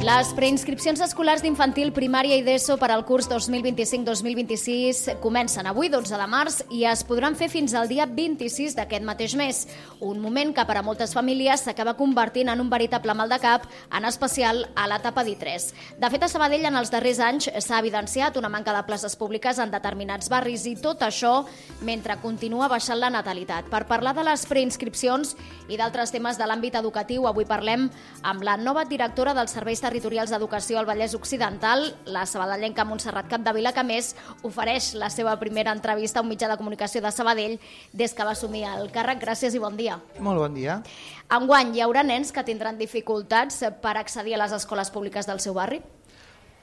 Les preinscripcions escolars d'infantil, primària i d'ESO per al curs 2025-2026 comencen avui, 12 de març, i es podran fer fins al dia 26 d'aquest mateix mes. Un moment que per a moltes famílies s'acaba convertint en un veritable mal de cap, en especial a l'etapa d'I3. De fet, a Sabadell en els darrers anys s'ha evidenciat una manca de places públiques en determinats barris i tot això mentre continua baixant la natalitat. Per parlar de les preinscripcions i d'altres temes de l'àmbit educatiu, avui parlem amb la nova directora dels Serveis Territorials d'Educació al Vallès Occidental, la sabadellenca Montserrat Capdevila, que més ofereix la seva primera entrevista a un mitjà de comunicació de Sabadell des que va assumir el càrrec. Gràcies i bon dia. Molt bon dia. Enguany hi haurà nens que tindran dificultats per accedir a les escoles públiques del seu barri?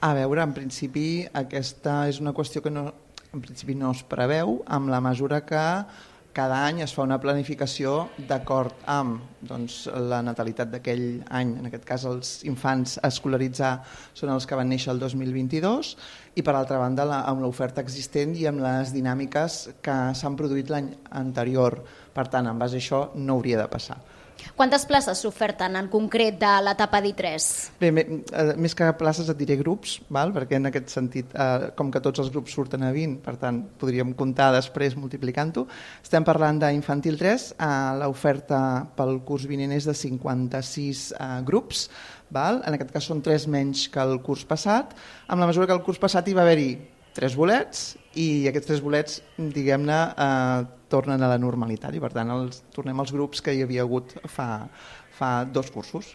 A veure, en principi aquesta és una qüestió que en principi no es preveu, amb la mesura que cada any es fa una planificació d'acord amb la natalitat d'aquell any. En aquest cas, els infants a escolaritzar són els que van néixer el 2022 i, per altra banda, amb l'oferta existent i amb les dinàmiques que s'han produït l'any anterior. Per tant, en base a això, no hauria de passar. Quantes places s'oferten en concret de l'etapa d'I3? Bé, més que places et diré grups, perquè en aquest sentit, com que tots els grups surten a 20, per tant, podríem comptar després multiplicant-ho. Estem parlant d'infantil 3, l'oferta pel curs vinent és de 56 grups, en aquest cas són 3 menys que el curs passat, amb la mesura que el curs passat hi va haver-hi 3 bolets i aquests 3 bolets, diguem-ne, tornen a la normalitat i per tant tornem als grups que hi havia hagut fa 2 cursos.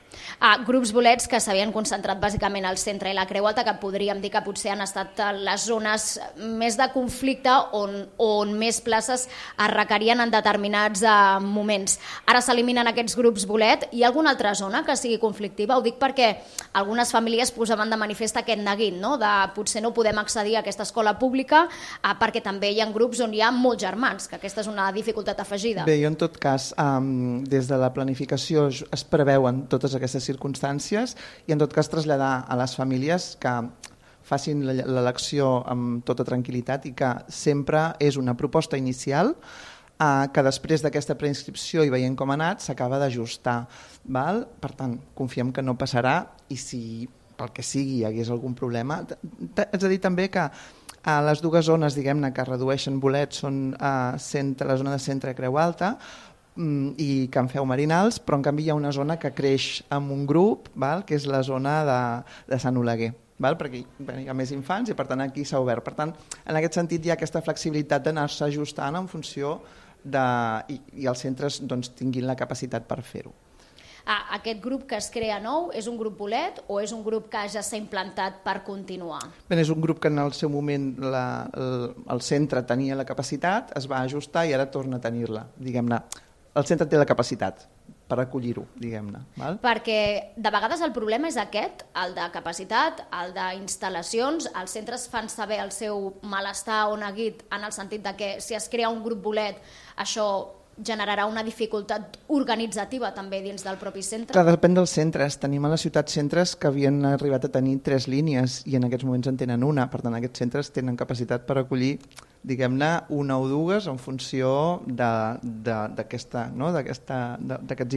Grups bolets que s'havien concentrat bàsicament al centre i la Creu Alta, que podríem dir que potser han estat les zones més de conflicte on més places es requerien en determinats moments. Ara s'eliminen aquests grups bolet. Hi ha alguna altra zona que sigui conflictiva? Ho dic perquè algunes famílies posaven de manifest aquest neguit, de potser no podem accedir a aquesta escola pública perquè també hi ha grups on hi ha molts germans, que aquesta és una dificultat afegida. Bé, jo en tot cas, des de la planificació es preveuen totes aquestes circumstàncies i en tot cas traslladar a les famílies que facin l'elecció amb tota tranquil·litat i que sempre és una proposta inicial que després d'aquesta preinscripció i veient com ha anat s'acaba d'ajustar. Per tant, confiem que no passarà i si pel que sigui hi hagués algun problema. Haig de dir també que a les dues zones, diguem-ne, que redueixen bolets són la zona de centre Creu Alta i Can Feu Marinals, però en canvi hi ha una zona que creix amb un grup, que és la zona de Sant Oleguer, perquè hi ha més infants i per tant aquí s'ha obert. Per tant, en aquest sentit hi ha aquesta flexibilitat d'anar-se ajustant en funció i els centres tinguin la capacitat per fer-ho. Aquest grup que es crea nou és un grup bolet o és un grup que ja s'ha implantat per continuar? Bé, és un grup que en el seu moment el centre tenia la capacitat, es va ajustar i ara torna a tenir-la, diguem-ne. El centre té la capacitat per acollir-ho, diguem-ne. Perquè de vegades el problema és aquest, el de capacitat, el d'instal·lacions. Els centres fan saber el seu malestar o neguit en el sentit de que si es crea un grup bolet això generarà una dificultat organitzativa també dins del propi centre? Clar, depèn dels centres. Tenim a la ciutat centres que havien arribat a tenir 3 línies i en aquests moments en tenen una. Per tant, aquests centres tenen capacitat per acollir, diguem-ne, una o dues en funció d'aquests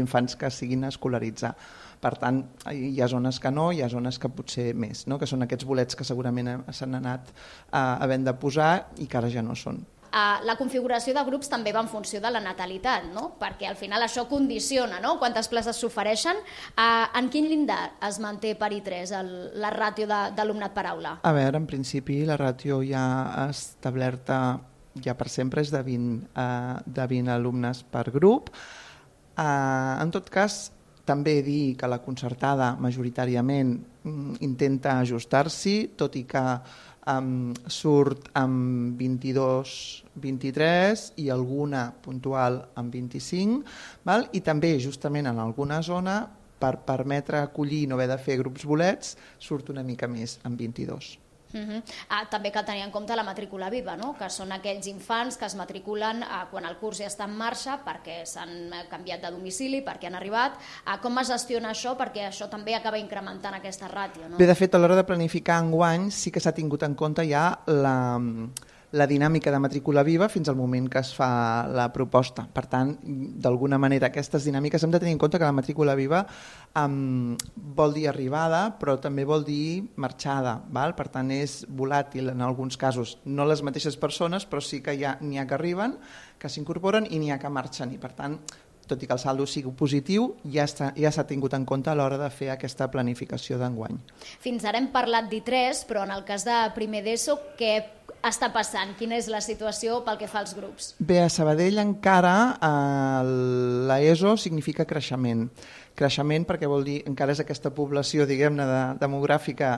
infants que siguin a escolaritzar. Per tant, hi ha zones que no, hi ha zones que potser més, que són aquests bolets que segurament s'han anat havent de posar i que ara ja no són. La configuració de grups també va en funció de la natalitat, perquè al final això condiciona quantes places s'ofereixen. En quin llindar es manté per I3 la ràtio d'alumnat per aula? A veure, en principi la ràtio ja establerta ja per sempre és de 20 alumnes per grup. En tot cas, també dir que la concertada majoritàriament intenta ajustar-s'hi, tot i que surt amb 22, 23 i alguna puntual amb 25, i també justament en alguna zona per permetre acollir i no haver de fer grups bolets surt una mica més amb 22. També cal tenir en compte la matrícula viva, que són aquells infants que es matriculen quan el curs ja està en marxa perquè s'han canviat de domicili, perquè han arribat. Com es gestiona això? Perquè això també acaba incrementant aquesta ràtio. Bé, de fet, a l'hora de planificar enguany sí que s'ha tingut en compte ja la dinàmica de matrícula viva fins al moment que es fa la proposta. Per tant, d'alguna manera, aquestes dinàmiques hem de tenir en compte que la matrícula viva vol dir arribada, però també vol dir marxada. Val? Per tant, és volàtil en alguns casos. No les mateixes persones, però sí que n'hi ha que arriben, que s'incorporen i n'hi ha que marxen. I per tant, tot i que el saldo sigui positiu, ja s'ha tingut en compte a l'hora de fer aquesta planificació d'enguany. Fins ara hem parlat d'I3, però en el cas de primer d'ESO, què està passant? Quina és la situació pel que fa als grups? Bé, a Sabadell encara l'ESO significa creixement. Creixement perquè vol dir encara és aquesta població, diguem-ne, demogràfica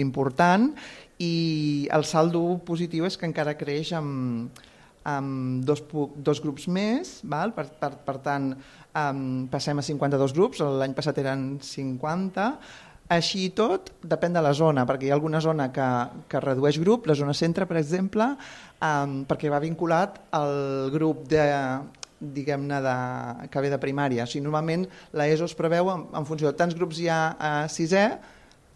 important, i el saldo positiu és que encara creix amb dos grups més, val? Per tant, passem a 52 grups, l'any passat eren 50, així i tot depèn de la zona, perquè hi ha alguna zona que redueix grup, la zona centre, per exemple, perquè va vinculat al grup diguem-ne, que ve de primària. O sigui, normalment l'ESO es preveu en funció de tants grups hi ha a sisè,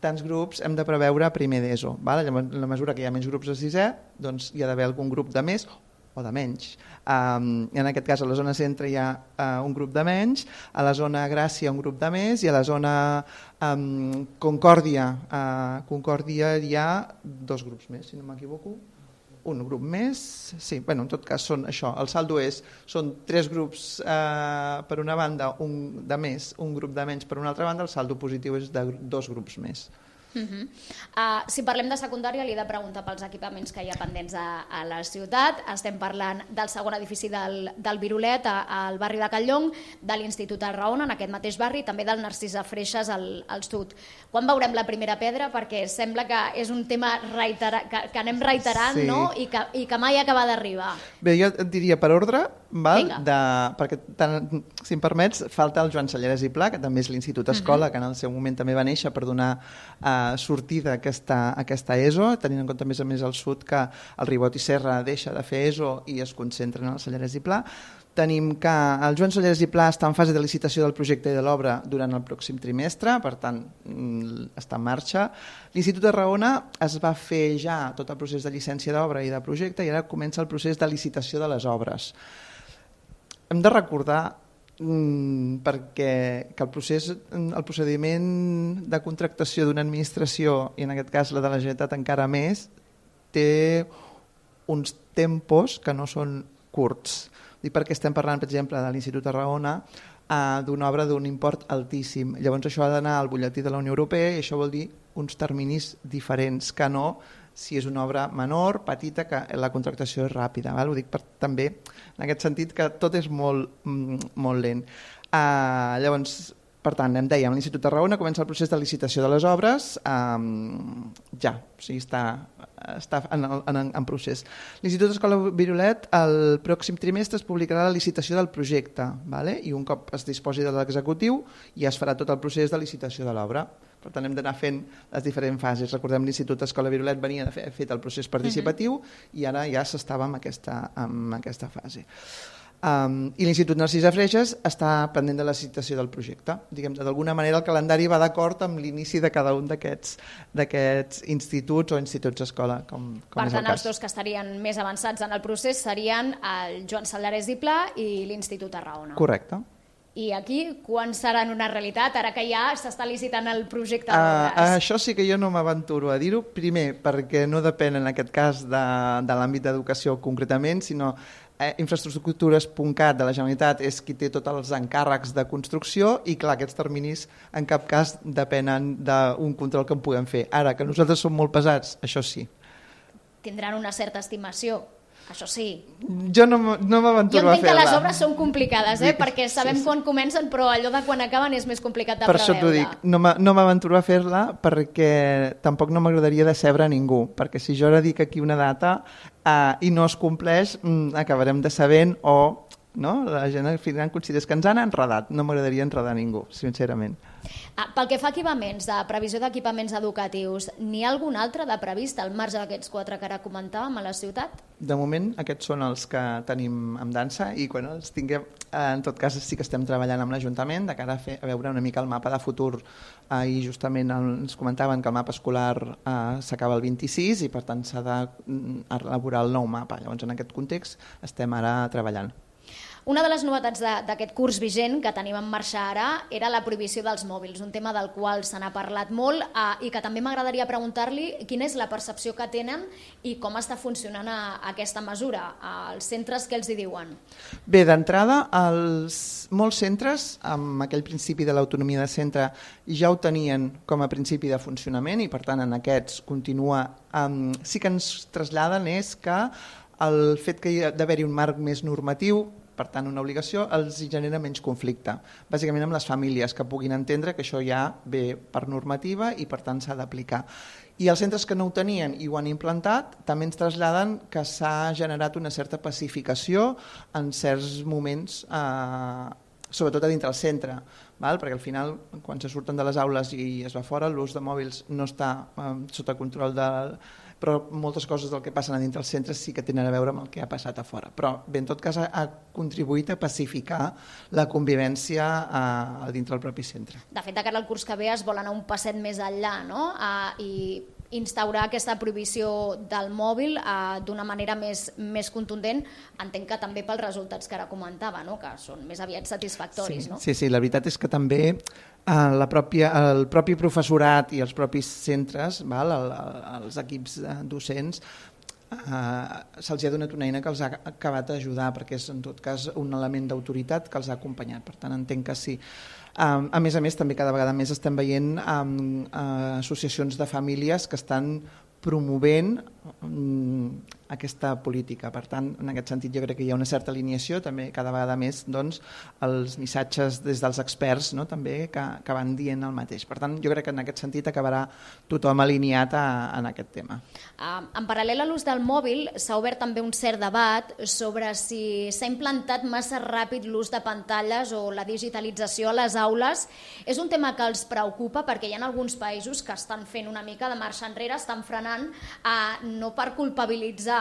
tants grups hem de preveure a primer d'ESO. En la mesura que hi ha menys grups a sisè, doncs hi ha d'haver algun grup de més o de menys. En aquest cas a la zona centre hi ha un grup de menys, a la zona Gràcia un grup de més i a la zona Concòrdia hi ha 2 grups més, si no m'equivoco. Un grup més, sí, en tot cas són això, el saldo són 3 grups per una banda, un de més, un grup de menys per una altra banda, el saldo positiu és de 2 grups més. Si parlem de secundària, li he de preguntar pels equipaments que hi ha pendents a la ciutat. Estem parlant del segon edifici del Virolet al barri de Calllong, de l'Institut de Raona en aquest mateix barri, també del Narcís Freixas al sud. Quan veurem la primera pedra? Perquè sembla que és un tema que anem reiterant, sí, no? I que mai acaba d'arribar. Bé, jo et diria per ordre, perquè si em permets, falta el Joan Sallarès i Pla, que també és l'Institut Escola, que en el seu moment també va néixer per donar sortida a aquesta ESO, tenint en compte a més el sud que el Ribot i Serra deixa de fer ESO i es concentren en el Sallarès i Pla. Tenim que el Joan Sallarès i Pla està en fase de licitació del projecte i de l'obra durant el pròxim trimestre, per tant està en marxa. L'Institut de Raona es va fer ja tot el procés de llicència d'obra i de projecte i ara comença el procés de licitació de les obres. Hem de recordar perquè que el procediment de contractació d'una administració, i en aquest cas la de la Generalitat encara més, té uns tempos que no són curts. I perquè estem parlant, per exemple, de l'Institut de Raona, d'una obra d'un import altíssim. Llavors això ha d'anar al butlletí de la Unió Europea i això vol dir uns terminis diferents que no si és una obra menor, petita, que la contractació és ràpida. Ho dic també en aquest sentit que tot és molt lent. Llavors, per tant, em dèiem, l'Institut de Raona comença el procés de licitació de les obres ja, o sigui, està en procés. L'Institut Escola Virolet el pròxim trimestre es publicarà la licitació del projecte, i un cop es disposi de l'executiu ja es farà tot el procés de licitació de l'obra. Per tant, hem d'anar fent les diferents fases. Recordem, l'Institut Escola Virolet venia fet el procés participatiu i ara ja s'estava en aquesta fase. I l'Institut Narcís Freixas està pendent de la licitació del projecte. D'alguna manera el calendari va d'acord amb l'inici de cada un d'aquests instituts o instituts escola, com és el cas. Per tant, els dos que estarien més avançats en el procés serien el Joan Sallarès i Pla i l'Institut de Raona. Correcte. I aquí, quan seran una realitat, ara que ja s'està licitant el projecte? Això sí que jo no m'aventuro a dir-ho. Primer, perquè no depèn en aquest cas de l'àmbit d'educació concretament, sinó Infraestructures.cat de la Generalitat és qui té tots els encàrrecs de construcció i clar, aquests terminis en cap cas depenen d'un control que en puguem fer. Ara, que nosaltres som molt pesats, això sí. Tindran una certa estimació, això sí. Jo no m'aventuro a fer-la. Jo entenc que les obres són complicades, perquè sabem quan comencen, però allò de quan acaben és més complicat de preveure. Per això t'ho dic, no m'aventuro a fer-la perquè tampoc no m'agradaria decebre a ningú, perquè si jo ara dic aquí una data i no es compleix, acabarem decebent o la gent al final considera que ens han enredat. No m'agradaria enredar ningú, sincerament. Pel que fa a equipaments, de previsió d'equipaments educatius, n'hi ha algun altre de previst al marge d'aquests 4 que ara comentàvem a la ciutat? De moment aquests són els que tenim amb dansa i quan els tinguem, en tot cas sí que estem treballant amb l'Ajuntament de cara a veure una mica el mapa de futur i justament ens comentaven que el mapa escolar s'acaba el 26 i per tant s'ha d'elaborar el nou mapa. Llavors en aquest context estem ara treballant. Una de les novetats d'aquest curs vigent que tenim en marxa ara era la prohibició dels mòbils, un tema del qual se n'ha parlat molt i que també m'agradaria preguntar-li quina és la percepció que tenen i com està funcionant aquesta mesura, als centres què els hi diuen? Bé, d'entrada, molts centres, amb aquell principi de l'autonomia de centre, ja ho tenien com a principi de funcionament i per tant en aquests continua. Sí que ens traslladen és que el fet que hi ha d'haver-hi un marc més normatiu, per tant una obligació, els genera menys conflicte. Bàsicament amb les famílies que puguin entendre que això ja ve per normativa i per tant s'ha d'aplicar. I els centres que no ho tenien i ho han implantat també ens traslladen que s'ha generat una certa pacificació en certs moments, sobretot a dintre el centre, perquè al final quan se surten de les aules i es va fora l'ús de mòbils no està sota control però moltes coses del que passen a dintre els centres sí que tenen a veure amb el que ha passat a fora. Però bé, en tot cas ha contribuït a pacificar la convivència dintre el propi centre. De fet, de cara al curs que ve es vol anar un passet més enllà, no? I instaurar aquesta prohibició del mòbil d'una manera més contundent, entenc que també pels resultats que ara comentava, no? Que són més aviat satisfactoris. Sí, la veritat és que també el propi professorat i els propis centres, els equips docents, se'ls ha donat una eina que els ha acabat d'ajudar perquè és en tot cas un element d'autoritat que els ha acompanyat, per tant entenc que sí. A més, també cada vegada més estem veient associacions de famílies que estan promovent aquesta política. Per tant, en aquest sentit jo crec que hi ha una certa alineació, també cada vegada més els missatges des dels experts també que van dient el mateix. Per tant, jo crec que en aquest sentit acabarà tothom alineat en aquest tema. En paral·lel a l'ús del mòbil s'ha obert també un cert debat sobre si s'ha implantat massa ràpid l'ús de pantalles o la digitalització a les aules. És un tema que els preocupa perquè hi ha alguns països que estan fent una mica de marxa enrere, estan frenant no per culpabilitzar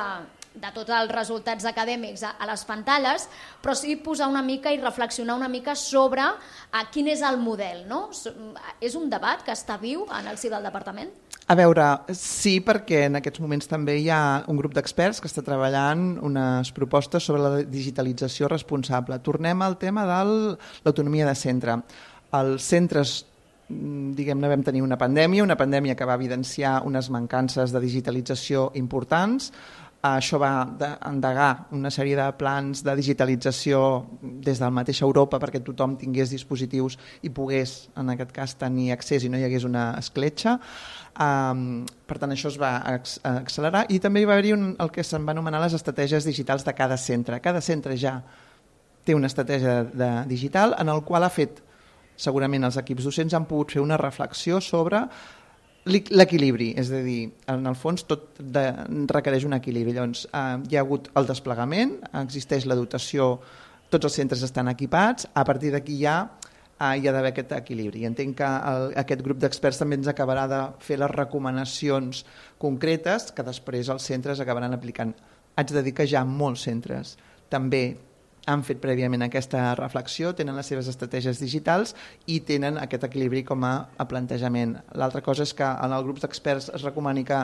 de tots els resultats acadèmics a les pantalles, però sí posar una mica i reflexionar una mica sobre quin és el model. És un debat que està viu en el si del departament? A veure, sí, perquè en aquests moments també hi ha un grup d'experts que està treballant unes propostes sobre la digitalització responsable. Tornem al tema de l'autonomia de centre. Els centres vam tenir una pandèmia que va evidenciar unes mancances de digitalització importants. Això va endegar una sèrie de plans de digitalització des del mateix Europa perquè tothom tingués dispositius i pogués, en aquest cas, tenir accés i no hi hagués una escletxa. Per tant, això es va accelerar i també hi va haver el que se'n va anomenar les estratègies digitals de cada centre. Cada centre ja té una estratègia digital en el qual ha fet segurament els equips docents han pogut fer una reflexió sobre l'equilibri, és a dir, en el fons tot requereix un equilibri. Llavors, hi ha hagut el desplegament, existeix la dotació, tots els centres estan equipats, a partir d'aquí hi ha d'haver aquest equilibri. I entenc que aquest grup d'experts també ens acabarà de fer les recomanacions concretes que després els centres acabaran aplicant. Haig de dir que ja molts centres també han fet prèviament aquesta reflexió, tenen les seves estratègies digitals i tenen aquest equilibri com a plantejament. L'altra cosa és que en el grup d'experts es recomani que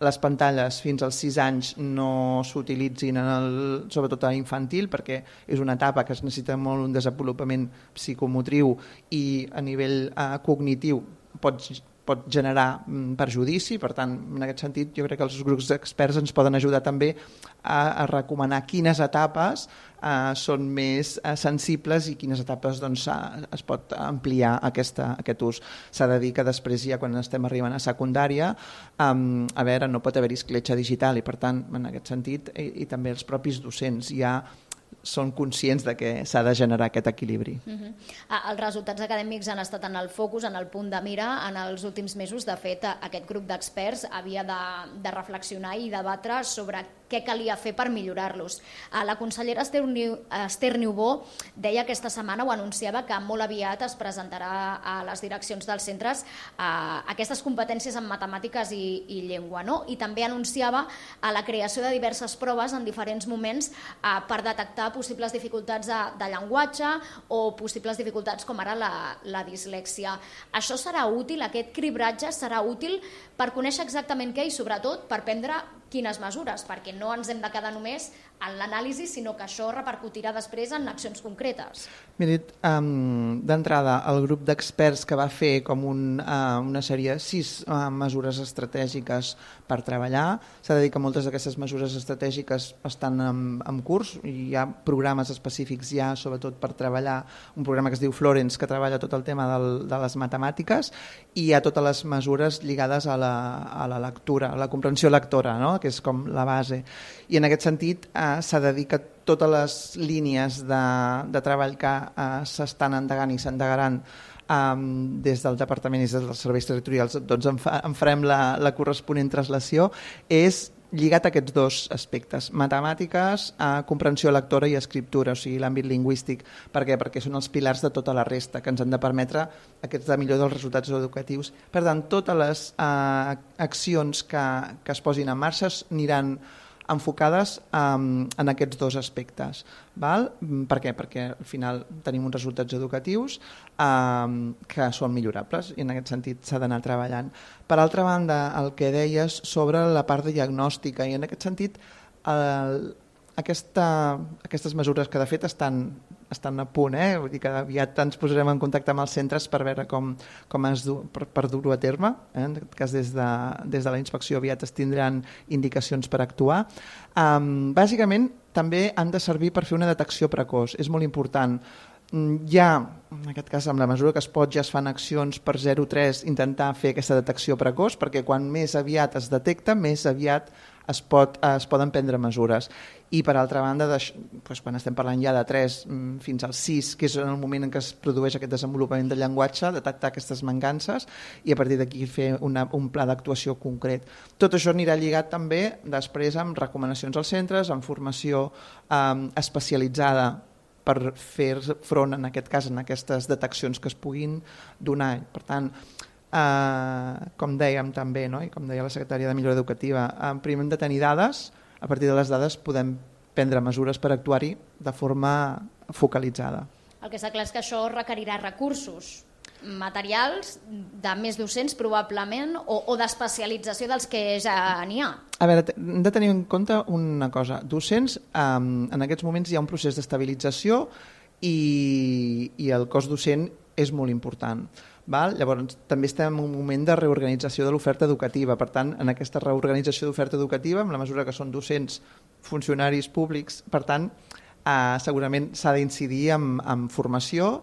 les pantalles fins als 6 anys no s'utilitzin, sobretot a infantil, perquè és una etapa que es necessita molt un desenvolupament psicomotriu i a nivell cognitiu pot generar perjudici. Per tant, en aquest sentit, jo crec que els grups d'experts ens poden ajudar també a recomanar quines etapes són més sensibles i quines etapes es pot ampliar aquest ús. S'ha de dir que després, ja quan estem arribant a secundària, no pot haver-hi escletxa digital i, per tant, en aquest sentit, i també els propis docents ja són conscients de que s'ha de generar aquest equilibri. Els resultats acadèmics han estat en el focus, en el punt de mira en els últims mesos. De fet, aquest grup d'experts havia de reflexionar i debatre sobre què calia fer per millorar-los. La consellera Esther Niubó deia aquesta setmana, o anunciava, que molt aviat es presentarà a les direccions dels centres aquestes competències en matemàtiques i llengua, no? I també anunciava la creació de diverses proves en diferents moments per detectar possibles dificultats de llenguatge o possibles dificultats com ara la dislèxia. Això serà útil, aquest cribratge serà útil per conèixer exactament què i sobretot per prendre quines mesures, perquè no ens hem de quedar només en l'anàlisi, sinó que això repercutirà després en accions concretes. Mira, d'entrada, el grup d'experts que va fer com una sèrie de 6 mesures estratègiques per treballar, s'ha de dir que moltes d'aquestes mesures estratègiques estan en curs, i hi ha programes específics ja, sobretot per treballar, un programa que es diu Florence, que treballa tot el tema de les matemàtiques, i hi ha totes les mesures lligades a la lectura, a la comprensió lectora, no? Que és com la base. I en aquest sentit s'ha de dir que totes les línies de treball que s'estan endegant i s'endegaran des del Departament i des dels serveis territorials, doncs en farem la corresponent translació, és lligat a aquests 2 aspectes, matemàtiques, comprensió lectora i escriptura, o sigui, l'àmbit lingüístic. Per què? Perquè són els pilars de tota la resta, que ens han de permetre aquesta millora dels resultats educatius. Per tant, totes les accions que es posin en marxa aniran enfocades en aquests 2 aspectes. Val? Per què? Perquè al final tenim uns resultats educatius que són millorables i en aquest sentit s'ha d'anar treballant. Per altra banda, el que deies sobre la part de diagnòstica, i en aquest sentit aquestes mesures que de fet estan a punt, vull dir que aviat ens posarem en contacte amb els centres per veure com per dur-ho a terme, en aquest cas des de la inspecció aviat es tindran indicacions per actuar. Bàsicament també han de servir per fer una detecció precoç, és molt important. Ja, en aquest cas, amb la mesura que es pot, ja es fan accions per 0,3 intentar fer aquesta detecció precoç, perquè quan més aviat es detecta, més aviat es poden prendre mesures. I per altra banda, quan estem parlant ja de 3 fins al 6, que és el moment en què es produeix aquest desenvolupament del llenguatge, detectar aquestes mancances i a partir d'aquí fer un pla d'actuació concret. Tot això anirà lligat també després amb recomanacions als centres, amb formació especialitzada per fer front, en aquest cas, en aquestes deteccions que es puguin donar. Per tant, com dèiem també, no? I com deia la secretària de Millora Educativa, primer hem de tenir dades, a partir de les dades podem prendre mesures per actuar-hi de forma focalitzada. El que està clar és que això requerirà recursos materials de més docents probablement o d'especialització dels que ja n'hi ha. A veure, hem de tenir en compte una cosa. Docents, en aquests moments hi ha un procés d'estabilització i el cos docent és molt important. Val? Llavors, també estem en un moment de reorganització de l'oferta educativa. Per tant, en aquesta reorganització d'oferta educativa, en la mesura que són docents, funcionaris públics, per tant, segurament s'ha d'incidir en formació.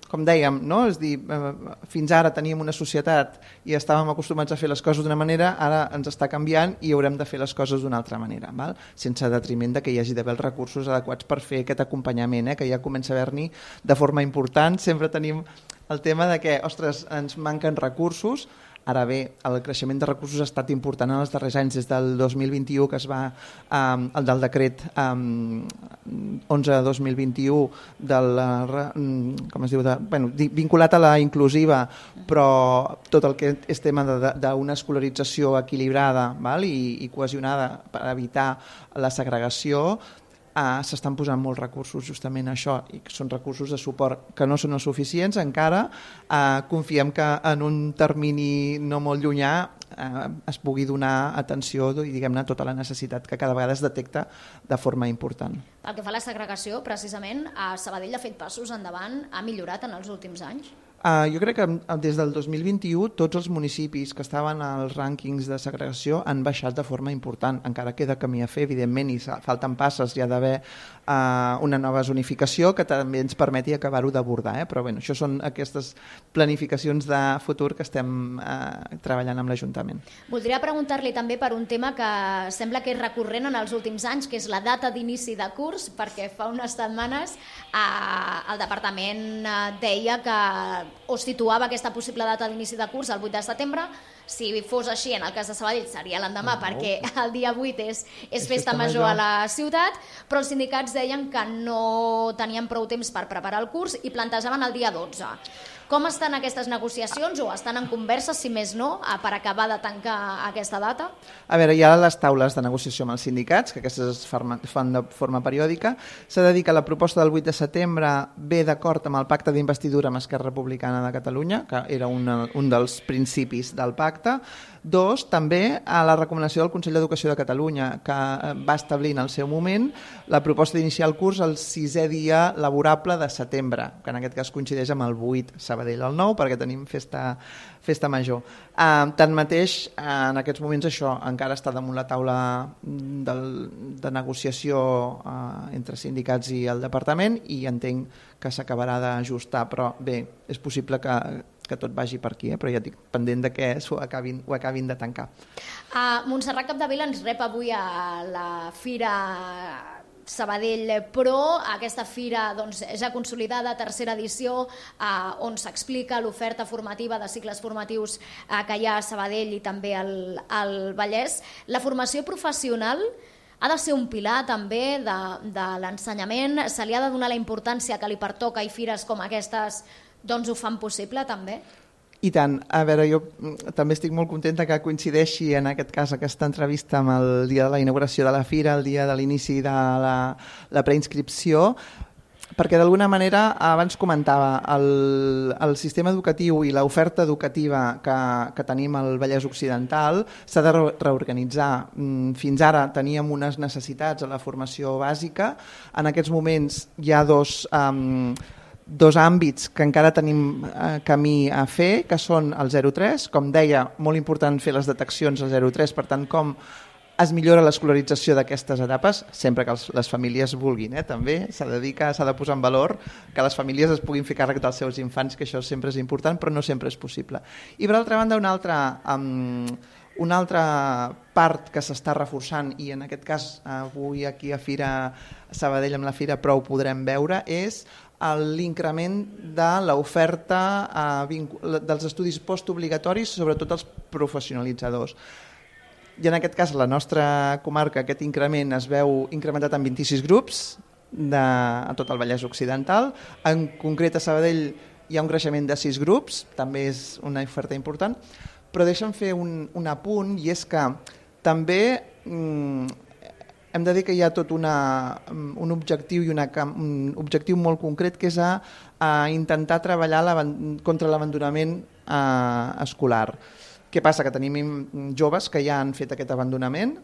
Com dèiem, no? És dir, fins ara teníem una societat i estàvem acostumats a fer les coses d'una manera, ara ens està canviant i haurem de fer les coses d'una altra manera, val? Sense detriment de que hi hagi d'haver els recursos adequats per fer aquest acompanyament, que ja comença a haver-n'hi de forma important. Sempre tenim el tema de que, ostres, ens manquen recursos. Ara bé, el creixement de recursos ha estat important en els darrers anys, des del 2021 que es va el del decret 11/2021 vinculat a la inclusiva, però tot el que és tema d'una escolarització equilibrada, val? I cohesionada per evitar la segregació, s'estan posant molts recursos justament a això, i són recursos de suport que no són els suficients encara. Confiem que en un termini no molt llunyà es pugui donar atenció i diguem-ne tota la necessitat que cada vegada es detecta de forma important. Pel que fa a la segregació, precisament, Sabadell ha fet passos endavant, ha millorat en els últims anys? Jo crec que des del 2021 tots els municipis que estaven als rànquings de segregació han baixat de forma important. Encara queda camí a fer, evidentment, i falten passes. Hi ha d'haver una nova zonificació que també ens permeti acabar-ho d'abordar. Però bé, això són aquestes planificacions de futur que estem treballant amb l'Ajuntament. Voldria preguntar-li també per un tema que sembla que és recurrent en els últims anys, que és la data d'inici de curs, perquè fa unes setmanes el Departament deia que o situava aquesta possible data d'inici de curs el 8 de setembre. Si fos així, en el cas de Sabadell seria l'endemà, perquè el dia 8 és festa major a la ciutat, però els sindicats deien que no tenien prou temps per preparar el curs i plantejaven el dia 12. Com estan aquestes negociacions, o estan en converses, si més no, per acabar de tancar aquesta data? A veure, hi ha les taules de negociació amb els sindicats, que aquestes es fan de forma periòdica. S'ha de dir que la proposta del 8 de setembre ve d'acord amb el pacte d'investidura amb Esquerra Republicana de Catalunya, que era un dels principis del pacte. Dos, també a la recomanació del Consell d'Educació de Catalunya, que va establir en el seu moment la proposta d'iniciar el curs el 6è dia laborable de setembre, que en aquest cas coincideix amb el 8, Sabadell el 9, perquè tenim festa major. Tanmateix, en aquests moments això encara està damunt la taula de negociació entre sindicats i el departament, i entenc que s'acabarà d'ajustar, però bé, és possible que tot vagi per aquí, però ja dic, pendent de que ho acabin de tancar. Montserrat Capdevila ens rep avui a la Fira Sabadell Pro, aquesta fira ja consolidada, tercera edició, on s'explica l'oferta formativa de cicles formatius que hi ha a Sabadell i també al Vallès. La formació professional ha de ser un pilar també de l'ensenyament, se li ha de donar la importància que li pertoca, i fires com aquestes ho fan possible també? I tant. A veure, jo també estic molt contenta que coincideixi en aquest cas aquesta entrevista amb el dia de la inauguració de la fira, el dia de l'inici de la preinscripció, perquè d'alguna manera, abans comentava, el sistema educatiu i l'oferta educativa que tenim al Vallès Occidental s'ha de reorganitzar. Fins ara teníem unes necessitats a la formació bàsica. En aquests moments hi ha dos àmbits que encara tenim camí a fer, que són el 0-3, com deia, molt important fer les deteccions al 0-3, per tant, com es millora l'escolarització d'aquestes etapes, sempre que les famílies vulguin, també s'ha de dir que s'ha de posar en valor que les famílies es puguin fer càrrec dels seus infants, que això sempre és important, però no sempre és possible. I per altra banda, una altra part que s'està reforçant, i en aquest cas avui aquí a Sabadell amb la Fira Pro ho podrem veure, és l'increment de l'oferta dels estudis postobligatoris, sobretot els professionalitzadors. I en aquest cas, a la nostra comarca, aquest increment es veu incrementat en 26 grups a tot el Vallès Occidental. En concret, a Sabadell hi ha un creixement de 6 grups, també és una oferta important, però deixa'm fer un apunt, i és que també hem de dir que hi ha tot un objectiu i un objectiu molt concret, que és a intentar treballar contra l'abandonament escolar. Què passa? Que tenim joves que ja han fet aquest abandonament,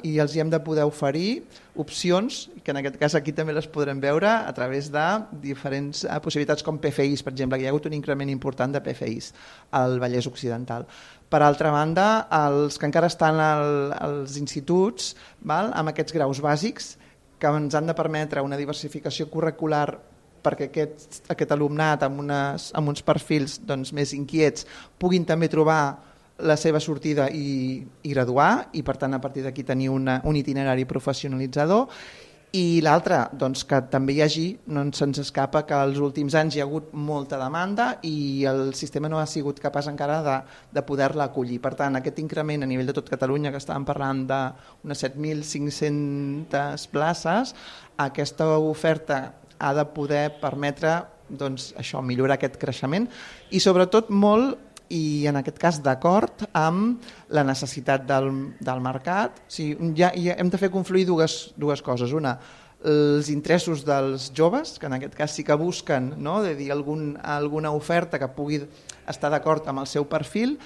i els hi hem de poder oferir opcions, que en aquest cas aquí també les podrem veure a través de diferents possibilitats com PFIs, per exemple, que hi ha hagut un increment important de PFIs al Vallès Occidental. Per altra banda, els que encara estan als instituts, amb aquests graus bàsics, que ens han de permetre una diversificació curricular perquè aquest alumnat amb uns perfils més inquiets puguin també trobar la seva sortida i graduar, i per tant a partir d'aquí tenir un itinerari professionalitzador. I l'altre, que també hi hagi, no se'ns escapa que als últims anys hi ha hagut molta demanda i el sistema no ha sigut capaç encara de poder-la acollir. Per tant, aquest increment a nivell de tot Catalunya, que estàvem parlant d'unes 7.500 places, aquesta oferta ha de poder permetre millorar aquest creixement i sobretot molt, i en aquest cas d'acord amb la necessitat del mercat. Hem de fer confluir dues coses. Una, els interessos dels joves, que en aquest cas sí que busquen alguna oferta que pugui estar d'acord amb el seu perfil.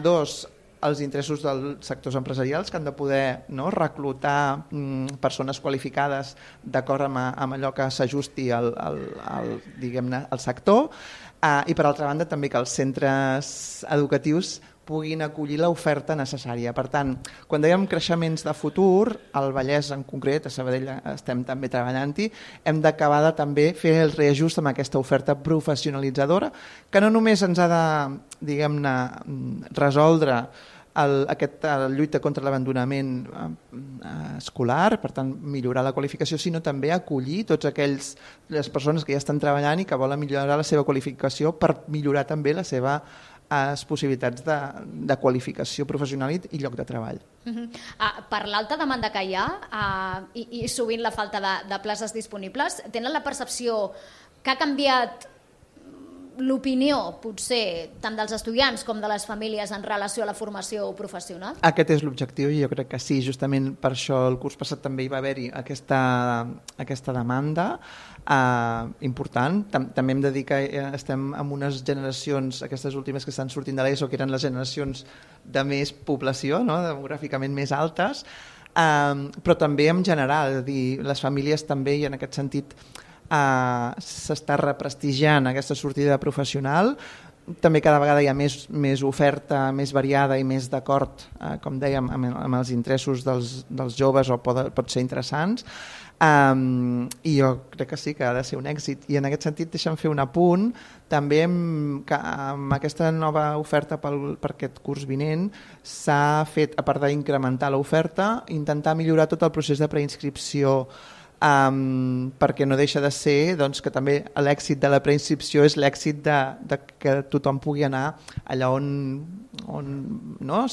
Dos, els interessos dels sectors empresarials, que han de poder reclutar persones qualificades d'acord amb allò que s'ajusti al sector. I per altra banda també que els centres educatius puguin acollir l'oferta necessària. Per tant, quan dèiem creixements de futur, al Vallès en concret, a Sabadell estem també treballant-hi, hem d'acabar de també fer el reajust amb aquesta oferta professionalitzadora, que no només ens ha de resoldre la lluita contra l'abandonament escolar, per tant millorar la qualificació, sinó també acollir tots les persones que ja estan treballant i que volen millorar la seva qualificació per millorar també les seves possibilitats de qualificació professional i lloc de treball. Per l'alta demanda que hi ha i sovint la falta de places disponibles, tenen la percepció que ha canviat l'opinió, potser, tant dels estudiants com de les famílies en relació a la formació professional? Aquest és l'objectiu i jo crec que sí, justament per això el curs passat també hi va haver-hi aquesta demanda important. També hem de dir que estem en unes generacions, aquestes últimes que estan sortint de l'ESO, que eren les generacions de més població, no? Demogràficament més altes, però també en general, és a dir, les famílies també, i en aquest sentit s'està represtigiant aquesta sortida professional. També cada vegada hi ha més oferta, més variada i més d'acord, com dèiem, amb els interessos dels joves, o pot ser interessants, i jo crec que sí que ha de ser un èxit. I en aquest sentit deixa'm fer un apunt també amb aquesta nova oferta per aquest curs vinent s'ha fet, a part d'incrementar l'oferta, intentar millorar tot el procés de preinscripció, perquè no deixa de ser que també l'èxit de la preinscripció és l'èxit de que tothom pugui anar allà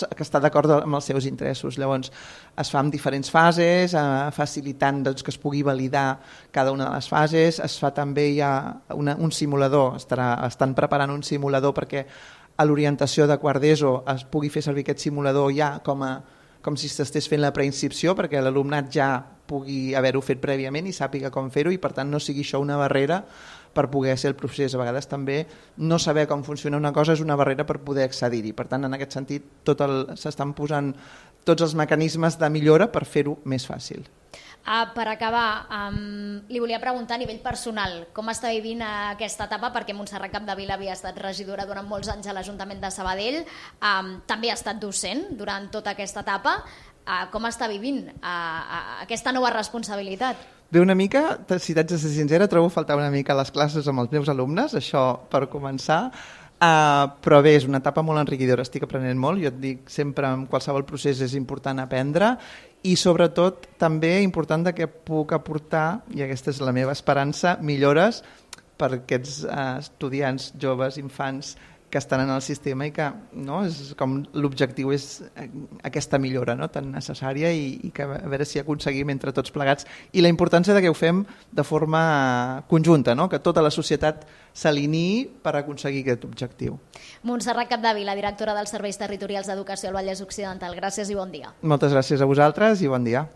que està d'acord amb els seus interessos. Llavors es fa en diferents fases, facilitant que es pugui validar cada una de les fases. Es fa també un simulador, estan preparant un simulador perquè a l'orientació de quart d'ESO es pugui fer servir aquest simulador ja com si s'estés fent la preinscripció, perquè l'alumnat ja pugui haver-ho fet prèviament i sàpiga com fer-ho, i per tant no sigui això una barrera per poder ser el procés. A vegades també no saber com funciona una cosa és una barrera per poder accedir-hi. Per tant, en aquest sentit, s'estan posant tots els mecanismes de millora per fer-ho més fàcil. Per acabar, li volia preguntar a nivell personal com està vivint aquesta etapa, perquè Montserrat Capdevila havia estat regidora durant molts anys a l'Ajuntament de Sabadell, també ha estat docent durant tota aquesta etapa. Com està vivint aquesta nova responsabilitat? Bé, una mica, si t'haig de ser sincera, trobo faltar una mica les classes amb els meus alumnes, això per començar, però bé, és una etapa molt enriquidora, estic aprenent molt. Jo et dic, sempre en qualsevol procés és important aprendre, i sobretot també important que puc aportar, i aquesta és la meva esperança, millores per aquests estudiants, joves, infants que estan en el sistema, i que és com l'objectiu és aquesta millora tan necessària, i que a veure si aconseguim entre tots plegats, i la importància que ho fem de forma conjunta, que tota la societat s'alineï per aconseguir aquest objectiu. Montserrat Capdevila, directora dels Serveis Territorials d'Educació al Vallès Occidental, gràcies i bon dia. Moltes gràcies a vosaltres i bon dia.